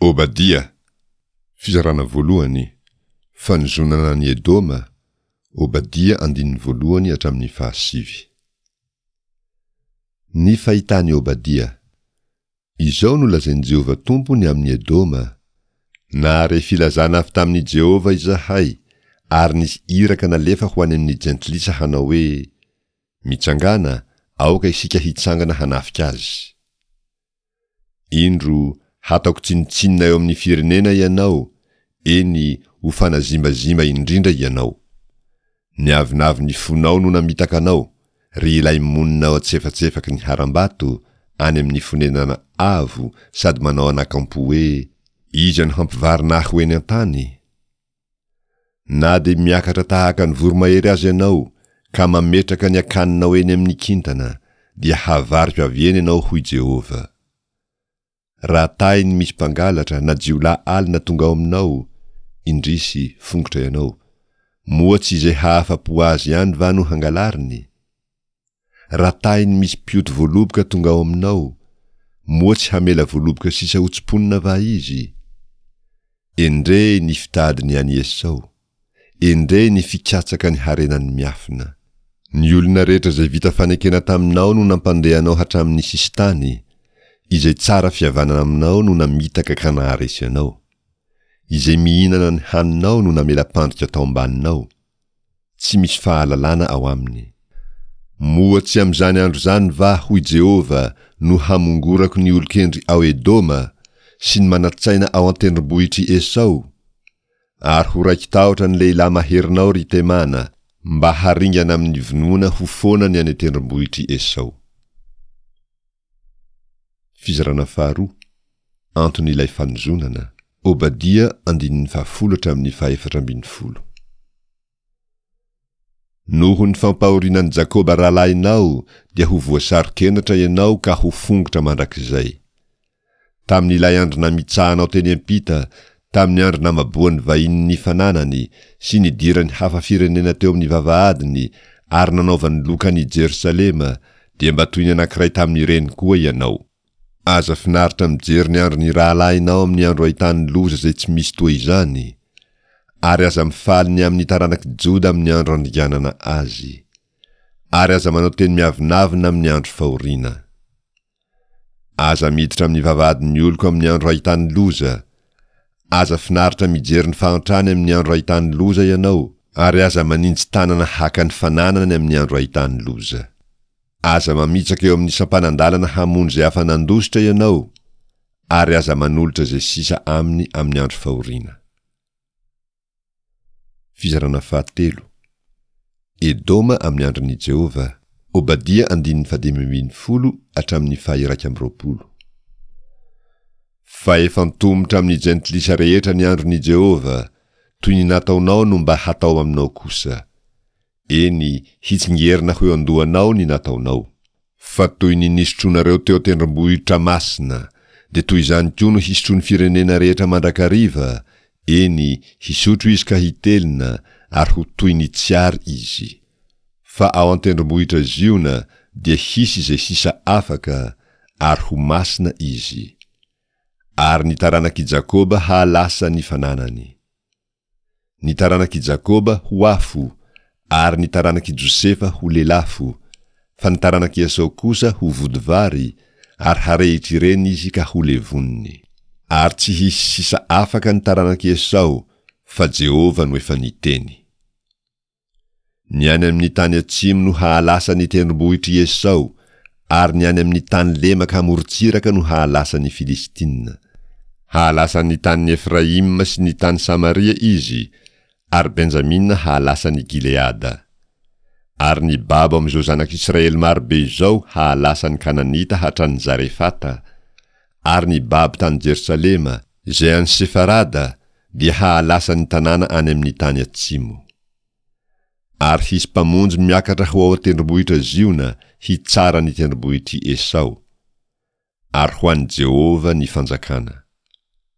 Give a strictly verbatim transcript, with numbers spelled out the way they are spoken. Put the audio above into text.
Obadia, fizarana voalohany, Fanozonana an'i Edoma, Obadia andininy voalohany hatramin'ny fahasivy. Ny fahitan'i Obadia. Izao no lazain'i Jehovah Tompo ny amin'i Edoma, Nahare filazana avy tamin'i Jehovah izahay, ary nisy iraka nalefa ho any amin'ny jentilisa hanao hoe, Mitsangàna, aoka isika hitsangana hanafika azy. Indro, hataoko tsinontsinona eo amin'ny firenena ianao, eny, ho fanazimbazimba indrindra ianao. Ny avonavon'ny fonao no namitaka anao, ry ilay monina ao an-tsefatsefaky ny harambato, any amin'ny fonenana avo, sady manao anakampo hoe, Iza no hampivarina ahy ho eny an-tany? Na dia miakatra tahaka ny voromahery aza ianao, ka mametraka ny akaninao eny amin'ny kintana, dia havariko avy eny ianao, hoy Jehovah. Raha tahiny misy mpangalatra na jiolahy alina tonga ao aminao, indrisy, fongotra ianao, moa tsy izay hahafa-po azy ihany va no hangalariny? Raha tahiny misy mpioty voaloboka tonga ao aminao, moa tsy hamela voaloboka sisa hotsimponina va izy? Endrey ny fitady ny an'i Esao! Endrey ny fikatsaka ny harenany miafina! Ny olona rehetra izay vita fanekena taminao no nampandeha anao hatramin'ny sisintany, izay tsara fihavanana aminao no namitaka ka naharesy anao. Izay mihinana ny haninao no namela-pandrika tao ambaninao. Tsy misy fahalalana ao aminy. Moa tsy amin'izany andro izany va, hoy Jehovah, no hamongorako ny olon-kendry ao Edoma, sy ny manan-tsaina ao an-tendrombohitr'i Esao? Ary ho raiki-tahotra ny lehilahy maherinao, ry Temana, mba haringana amin'ny vonoana ho foana ny any an-tendrombohitr'i Esao. Fizarana faharoa, Anton'ilay fanozonana, Obadia andininy fahafolo hatramin'ny fahefatra ambin'ny folo. Noho ny fampahoriana an'i Jakoba rahalahinao dia ho voasaro-kenatra ianao ka ho fongotra mandrakizay. Tamin'ilay andro namitsahanao teny am-pita, tamin'ny andro namaboan'ny vahiny ny fananany sy nidiran'ny hafa firenena teo amin'ny vavahadiny ary nanaovany loka an'i Jerosalema, dia mba toy ny anankiray tamin'ireny koa ianao. Aza finaritra mijery ny andron'ny rahalahinao amin'ny andro ahitany loza izay tsy misy toa izany, ary aza mifaly ny amin'ny taranak'i Joda amin'ny andro andringanana azy. Ary aza manao teny miavonavona amin'ny andro fahoriana. Aza miditra amin'ny vavahadin'ny oloko amin'ny andro ahitany loza. Aza finaritra mijery ny fahantrany amin'ny andro ahitany loza ianao, ary aza maninji tanana haka ny fananany amin'ny andro ahitany loza. Aza mamitsaka eo amin'ny sampanan-dalana hamonjy izay afa-nandositra ianao, ary aza manolotra izay sisa aminy amin'ny andro fahoriana. Fizarana fahatelo. Edoma amin'ny andron'i Jehovah. Obadia andininy fahadimy ambin'ny folo hatramin'ny faha-iraika amby roapolo. Fa efa antomotra amin'ny jentilisa rehetra ny andron'i Jehovah, toy ny nataonao no mba hatao aminao kosa. Eny, hitsingerina ho eo an-dohanao ny nataonao. Fa toy ny nisotroanareo teo an-tendrombohitra masina, dia toy izany koa no hisotroan'ny firenena rehetra mandrakariva, eny, hisotro izy ka hitelina, ary ho toy ny tsy ary izy. Fa ao an-tendrombohitra Ziona dia hisy izay sisa afaka, ary ho masina izy. Ary ny taranak'i Jakoba hahalasa ny fananany. Ny taranak'i Jakoba ho afo, ary ny taranak'i Josefa ho lelafo, fa ny taranak'i Esao kosa ho vodivary, ary harehitr'ireny izy ka ho levoniny. Ary tsy hisy sisa afaka ny taranak'i Esao, fa Jehovah no efa niteny. Ny any amin'ny tany atsimo no hahalasa ny tendrombohitr'i Esao, ary ny any amin'ny tany lemaka amorontsiraka no hahalasa ny Filistina. Hahalasa ny tanin'i Efraima sy ny tany Samaria izy, ary Benjamina hahalasa ny Gileada. Ary ny babo amin'izao zanak'Israely maro be izao hahalasa ny Kananita hatrany Zarefata, ary ny babo tany Jerosalema, izay any Sefarada, dia hahalasa ny tanàna any amin'ny tany atsimo. Ary hisy mpamonjy miakatra ho ao an-tendrombohitra Ziona hitsara ny tendrombohitr'i Esao. Ary ho an'i Jehovah ny fanjakana.